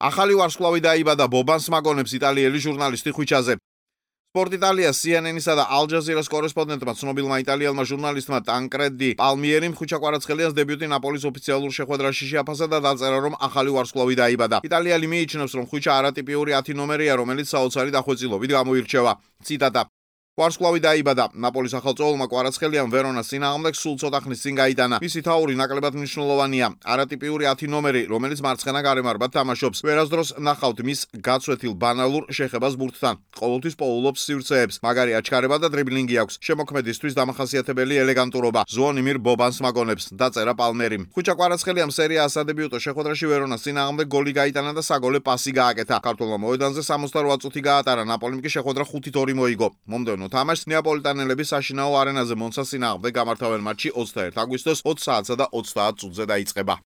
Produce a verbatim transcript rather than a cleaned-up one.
ახალი ვარსკვლავი დაიბადა ბობან სმაგონებს იტალიელი ჟურნალისტი ხვიჩაზე. Sport Italia C N N-ისა და Al Jazeera-ს კორესპონდენტმა ცნობილმა იტალიელმა ჟურნალისტმა ტანკრედი პალმიერიმ ხვიჩა კვარაცხელიას დებიუტი ნაპოლის ოფიციალურ შეხვედრაში შეაფასა და დაწერა, რომ ახალი ვარსკვლავი დაიბადა. იტალიელი მიიჩნევს, რომ ხვიჩა არატიპიური ათი ნომერია, რომელიც საოცარი დახვეწილობით გამოირჩევა. ციტატა: ვარსკვლავი დაიბადა. ნაპოლის ახალწეულმა კვარაცხელიამ ვერონას წინააღმდეგ სულ ცოტა ხნის წინ გაიტანა. მისი თაური ნაკლებად მნიშვნელოვანია. არატიპიური ათი ნომერი, რომელიც მარცხენა გარემარბად თამაშობს. ვერასდროს ნახავთ მის გაცვეთილ ბანალურ შეხებას ბურთთან. ყოველთვის პოულობს სივრცეებს. მაგარი აჩქარება და დრიბლინგი აქვს. შემოქმედისთვის დამახასიათებელი ელეგანტურობა. ზუონიმირ ბობანს მაგონებს. დაწერა პალმერიმ. ხვიჩა კვარაცხელიამ სერია A სადებიუტო შეხვედრაში ვერონას წინააღმდეგ გოლი გაიტანა და საგოლე პასი გააკეთა. ქართველმა მოედანზე სამოცდაროა წუთი გაატარა. ნაპოლიმ კი შეხვედრა ხუთით ორი მოიგო. მომდევნო თამაშს ნეაპოლიტანელები საშინაო არენაზე მონცას წინააღმდეგ გამართავენ მატჩი ოცდაერთი აგვისტოს ოც საათსა და ოცდაათ წუთზე დაიწყება.